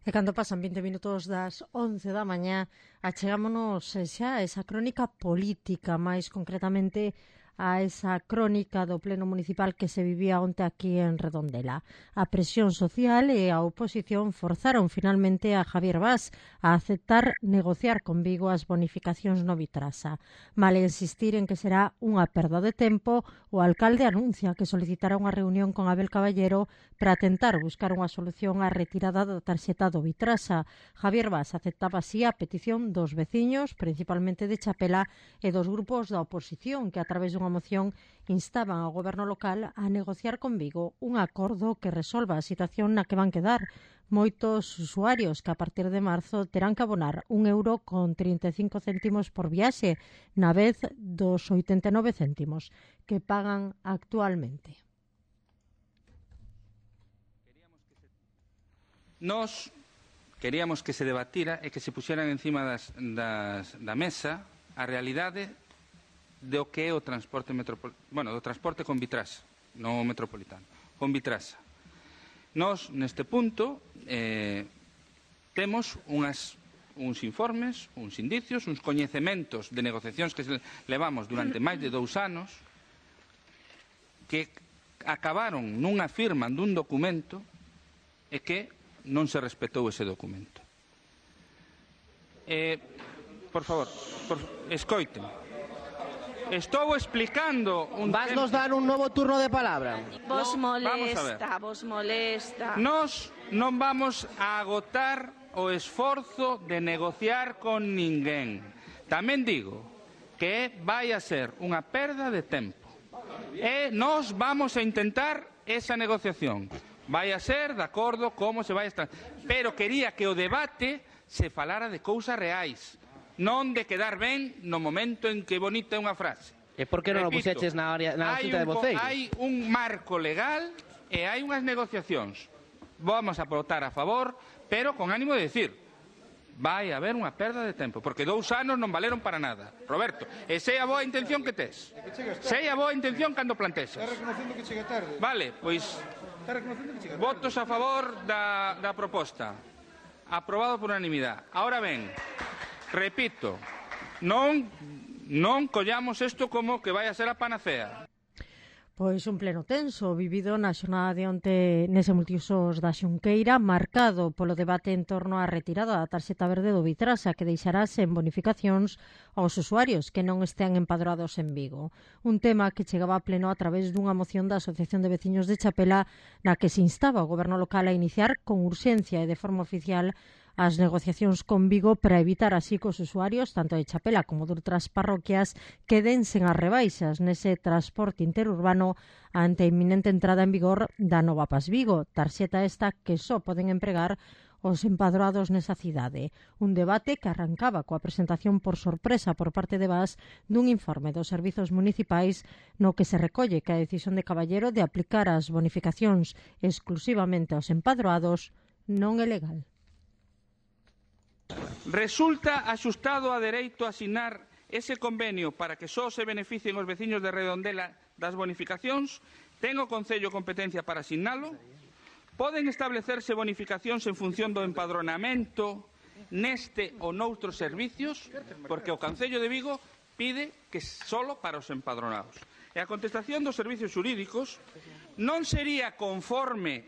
E cando pasan 20 minutos das 11 da mañá, achegámonos xa a esa crónica política, máis concretamente a esa crónica do Pleno Municipal que se vivía onte aquí en Redondela. A presión social e a oposición forzaron finalmente a Javier Bas a aceptar negociar con Vigo as bonificacións no Vitrasa. Male insistir en que será unha perda de tempo, o alcalde anuncia que solicitará unha reunión con Abel Caballero para tentar buscar unha solución á retirada da tarxeta do Vitrasa. Javier Bas aceptaba así a petición dos veciños, principalmente de Chapela, e dos grupos da oposición que a través dunha moción instaban ao goberno local a negociar con Vigo un acordo que resolva a situación na que van quedar moitos usuarios que a partir de marzo terán que abonar €1,35 por viaxe na vez dos 89 céntimos que pagan actualmente. Nos queríamos que se debatira e que se puxeran encima da mesa a realidade do que é o transporte do transporte con Vitrasa, non o metropolitano, con Vitrasa. Nós, neste punto, temos uns informes, uns indicios, uns coñecementos de negociacións que levamos durante máis de 2 anos que acabaron nunha firma dun documento e que non se respetou ese documento. Por favor, escoiten. Estou explicando un Vas nos dar un novo turno de palabra. Vos molesta. Nós non vamos a agotar o esforzo de negociar con ninguén. Tamén digo que vai a ser unha perda de tempo. E nós vamos a intentar esa negociación. Vai a ser de acordo como se vai a estar. Pero quería que o debate se falara de cousas reais. Non de quedar ben no momento en que bonita é unha frase. E por que non o puxeches na xunta de voceiros? Hai un marco legal e hai unhas negociacións. Vamos a votar a favor, pero con ánimo de decir vai haber unha perda de tempo, porque 2 anos non valeron para nada. Roberto, e sei a boa intención que tes. Sei a boa intención cando plantexas. Está reconocendo que chega tarde. Vale, pois votos a favor da proposta. Aprobado por unanimidade. Ahora ben, repito, non collamos isto como que vai a ser a panacea. Pois un pleno tenso vivido na xornada de onte nese multiusos da Xunqueira, marcado polo debate en torno á retirada da tarxeta verde do Vitrasa, que deixará sen bonificacións aos usuarios que non estean empadroados en Vigo. Un tema que chegaba a pleno a través dunha moción da Asociación de Veciños de Chapela na que se instaba o goberno local a iniciar con urxencia e de forma oficial as negociacións con Vigo para evitar así que os usuarios, tanto de Chapela como de outras parroquias, queden sen as rebaixas nese transporte interurbano ante a inminente entrada en vigor da nova Pas Vigo, tarxeta esta que só poden empregar os empadroados nesa cidade. Un debate que arrancaba coa presentación por sorpresa por parte de Bas dun informe dos servizos municipais no que se recolle que a decisión de Caballero de aplicar as bonificacións exclusivamente aos empadroados non é legal. Resulta axustado a dereito a asinar ese convenio para que só se beneficien os veciños de Redondela das bonificacións? Ten o Concello competencia para asinalo? Poden establecerse bonificacións en función do empadronamento neste ou noutros servicios? Porque o Concello de Vigo pide que solo para os empadronados. E a contestación dos servizos xurídicos non sería conforme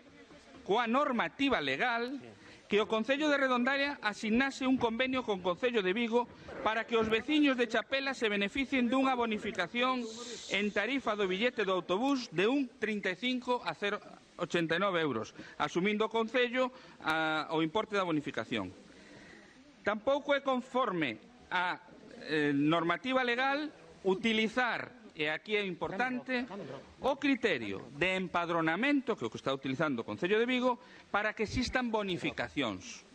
coa normativa legal que o Concello de Redondela asignase un convenio con o Concello de Vigo para que os veciños de Chapela se beneficien dunha bonificación en tarifa do billete do autobús de un 35 a 0,89 euros, asumindo o Concello o importe da bonificación. Tampouco é conforme a normativa legal utilizar, e aquí é importante, o criterio de empadronamento que o que está utilizando o Concello de Vigo para que existan bonificacións,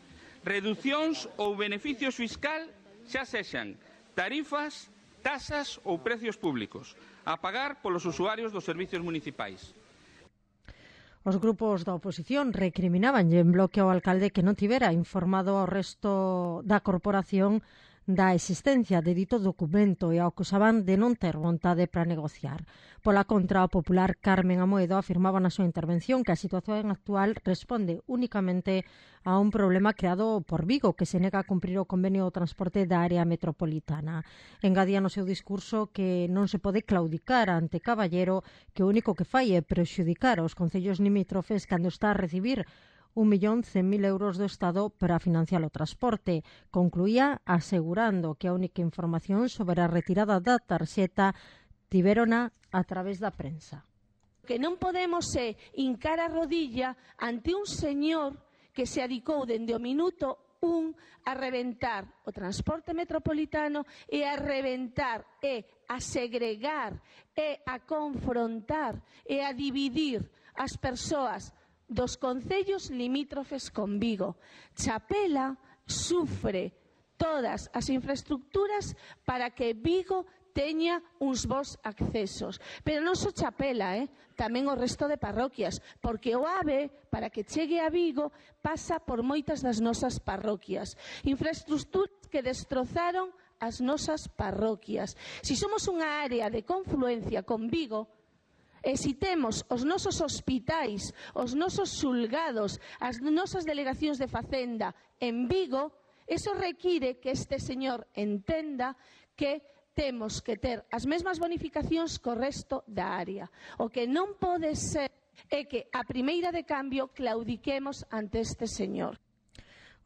reducións ou beneficios fiscal, xa sexan tarifas, tasas ou precios públicos, a pagar polos usuarios dos servicios municipais. Os grupos da oposición recriminaban en bloque ao alcalde que non tivera informado ao resto da corporación da existencia de dito documento e acusaban de non ter vontade para negociar. Pola contra, o popular Carmen Amoedo afirmaba na súa intervención que a situación actual responde únicamente a un problema creado por Vigo, que se nega a cumprir o convenio do transporte da área metropolitana. Engadía no seu discurso que non se pode claudicar ante Caballero, que o único que fai é prexudicar aos concellos limítrofes cando está a recibir 1.100.000 euros do Estado para financiar o transporte. Concluía asegurando que a única información sobre a retirada da tarxeta tiverona a través da prensa. Que non podemos hincar a rodilla ante un señor que se adicou dende o minuto 1 a reventar o transporte metropolitano e a reventar e a segregar e a confrontar e a dividir as persoas dos concellos limítrofes con Vigo. Chapela sufre todas as infraestructuras para que Vigo teña uns bons accesos. Pero non só Chapela, tamén o resto de parroquias, porque o AVE, para que chegue a Vigo, pasa por moitas das nosas parroquias. Infraestructuras que destrozaron as nosas parroquias. Si somos unha área de confluencia con Vigo, e si temos os nosos hospitais, os nosos xulgados, as nosas delegacións de Facenda en Vigo, eso require que este señor entenda que temos que ter as mesmas bonificacións co resto da área. O que non pode ser é que a primeira de cambio claudiquemos ante este señor.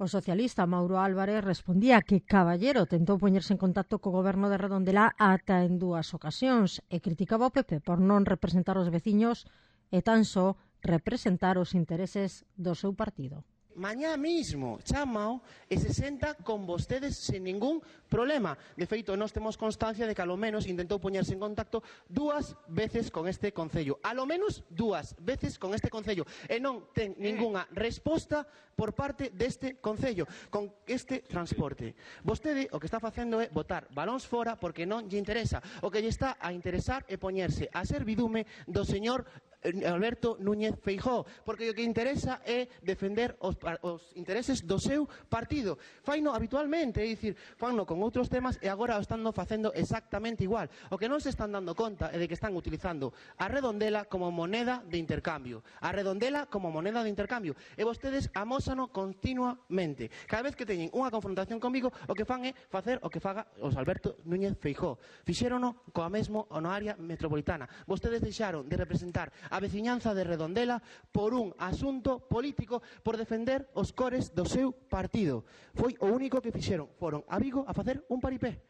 O socialista Mauro Álvarez respondía que Caballero tentou poñerse en contacto co goberno de Redondela ata en 2 ocasións e criticaba o PP por non representar os veciños e tan só representar os intereses do seu partido. Mañá mismo chamao e se senta con vostedes sen ningún problema. De feito, nós temos constancia de que alo menos intentou poñerse en contacto 2 veces con este concello. Alo menos 2 veces con este concello. E non ten ningunha resposta por parte deste concello con este transporte. Vostede o que está facendo é botar balóns fora porque non lle interesa. O que lle está a interesar é poñerse a servidume do señor Alberto Núñez Feijóo, porque o que interesa é defender os intereses do seu partido. Faino habitualmente, é dicir, faino con outros temas e agora o están facendo exactamente igual. O que non se están dando conta é de que están utilizando a Redondela como moneda de intercambio. A Redondela como moneda de intercambio. E vostedes amósano continuamente. Cada vez que teñen unha confrontación comigo, o que fan é facer o que faga os Alberto Núñez Feijóo. Fixérono coa mesmo na área metropolitana. Vostedes deixaron de representar a veciñanza de Redondela por un asunto político, por defender os cores do seu partido. Foi o único que fixeron. Foron a Vigo a facer un paripé.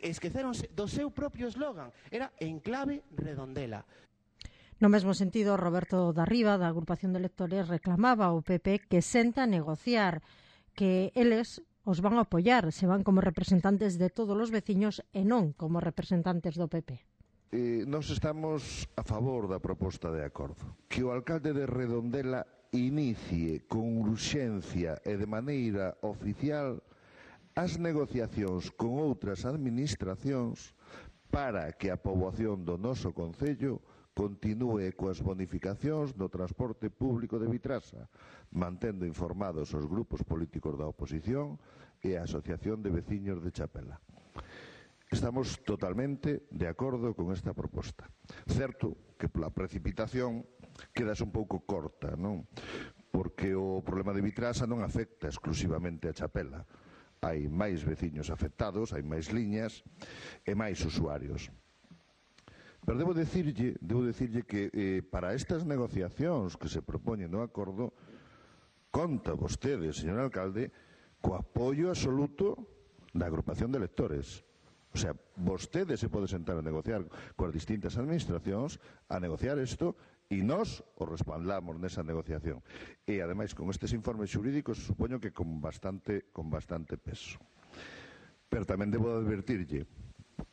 Esqueceronse do seu propio eslogan. Era Enclave Redondela. No mesmo sentido, Roberto Darriba, da agrupación de electores, reclamaba ao PP que senta a negociar, que eles os van a apoiar se van como representantes de todos os veciños e non como representantes do PP. Nós estamos a favor da proposta de acordo. Que o alcalde de Redondela inicie con urxencia e de maneira oficial as negociacións con outras administracións para que a poboación do noso concello continúe coas bonificacións do transporte público de Vitrasa, mantendo informados os grupos políticos da oposición e a Asociación de Veciños de Chapela. Estamos totalmente de acordo con esta proposta. Certo que pola precipitación quedas un pouco corta, non? Porque o problema de Vitrasa non afecta exclusivamente a Chapela. Hai máis veciños afectados, hai máis liñas e máis usuarios. Pero debo dicirlle que para estas negociacións que se propoñen no acordo, conta vostede, señor alcalde, co apoio absoluto da agrupación de electores. O sea, vostede se pode sentar a negociar coas distintas administracións, a negociar isto, e nós o respaldamos nesa negociación. E, ademais, con estes informes xurídicos, supoño que con bastante peso. Pero tamén debo advertirlle,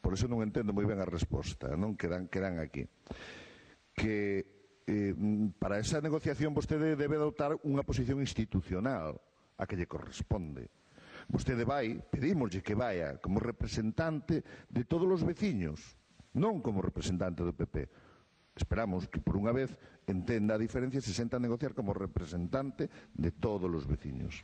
por eso non entendo moi ben a resposta, non quedan aquí, que para esa negociación vostede debe adoptar unha posición institucional a que lle corresponde. Vostede pedímoslle que vaya como representante de todos os veciños, non como representante do PP. Esperamos que por unha vez entenda a diferencia e se senta a negociar como representante de todos os veciños.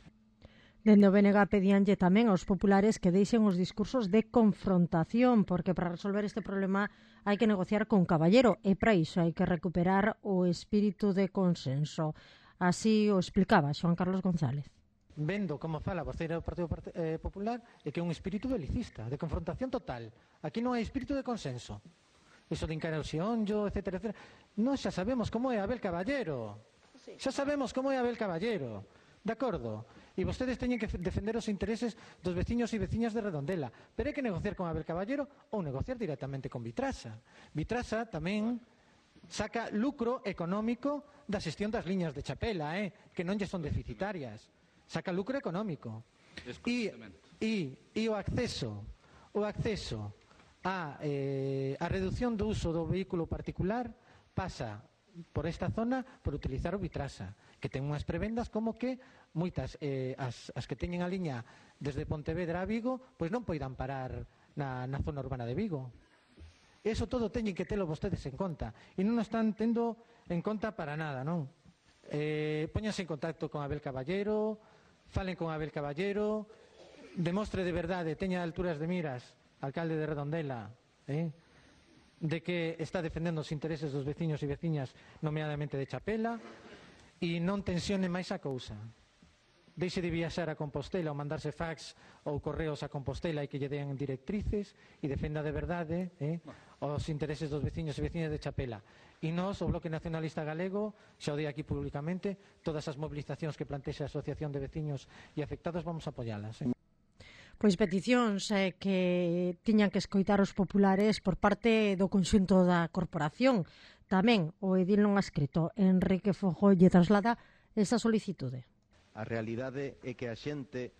Dende o BNG pedíanlle tamén aos populares que deixen os discursos de confrontación, porque para resolver este problema hai que negociar con caballero e para iso hai que recuperar o espírito de consenso. Así o explicaba Xoán Carlos González. Vendo como fala a voceira do Partido Popular é que é un espírito belicista, de confrontación total. Aquí non hai espírito de consenso. Eso de encarar o xeonllo, etcétera, etcétera. Nós xa sabemos como é Abel Caballero. Xa sabemos como é Abel Caballero. De acordo? E vostedes teñen que defender os intereses dos veciños e veciñas de Redondela. Pero hai que negociar con Abel Caballero ou negociar directamente con Vitrasa. Vitrasa tamén saca lucro económico da xestión das liñas de Chapela, que non lle son deficitarias. Saca lucro económico. E o acceso a reducción do uso do vehículo particular pasa por esta zona por utilizar o Vitrasa, que ten unhas prebendas como que moitas as que teñen a liña desde Pontevedra a Vigo pois non poidan parar na zona urbana de Vigo. Eso todo teñen que telo vostedes en conta e non o están tendo en conta para nada, non? Póñanse en contacto con Abel Caballero, falen con Abel Caballero, demostre de verdade, teña alturas de miras, alcalde de Redondela, de que está defendendo os intereses dos veciños e veciñas, nomeadamente de Chapela, e non tensione máis a cousa. Deixe de viaxar a Compostela ou mandarse fax ou correos a Compostela e que lle den directrices e defenda de verdade os intereses dos veciños e veciñas de Chapela. E nós, o Bloque Nacionalista Galego, xa o dei aquí públicamente, todas as mobilizacións que plantexe a Asociación de Veciños e Afectados vamos a apoialas. Pois peticións que tiñan que escoitar os populares por parte do conxunto da corporación. Tamén o edil non adscrito Enrique Fojo lle traslada esa solicitude. A realidade é que a xente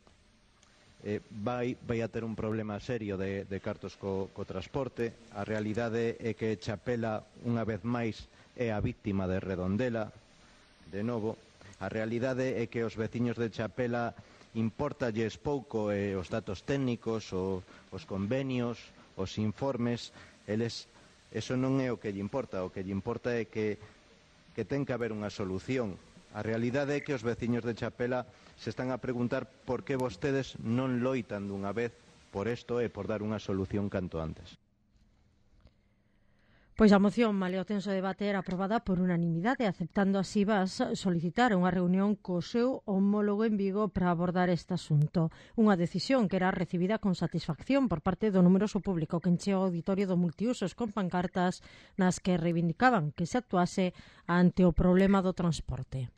vai a ter un problema serio de cartos co transporte. A realidade é que Chapela, unha vez máis, é a víctima de Redondela, de novo. A realidade é que os veciños de Chapela importalles pouco os datos técnicos, os convenios, os informes. Eso non é o que lle importa. O que lle importa é que ten que haber unha solución. A realidade é que os veciños de Chapela se están a preguntar por que vostedes non loitan dunha vez por isto e por dar unha solución canto antes. Pois a moción, malia o tenso debate, era aprobada por unanimidade, aceptando así vas solicitar unha reunión co seu homólogo en Vigo para abordar este asunto. Unha decisión que era recibida con satisfacción por parte do numeroso público que encheu o auditorio do Multiusos con pancartas nas que reivindicaban que se actuase ante o problema do transporte.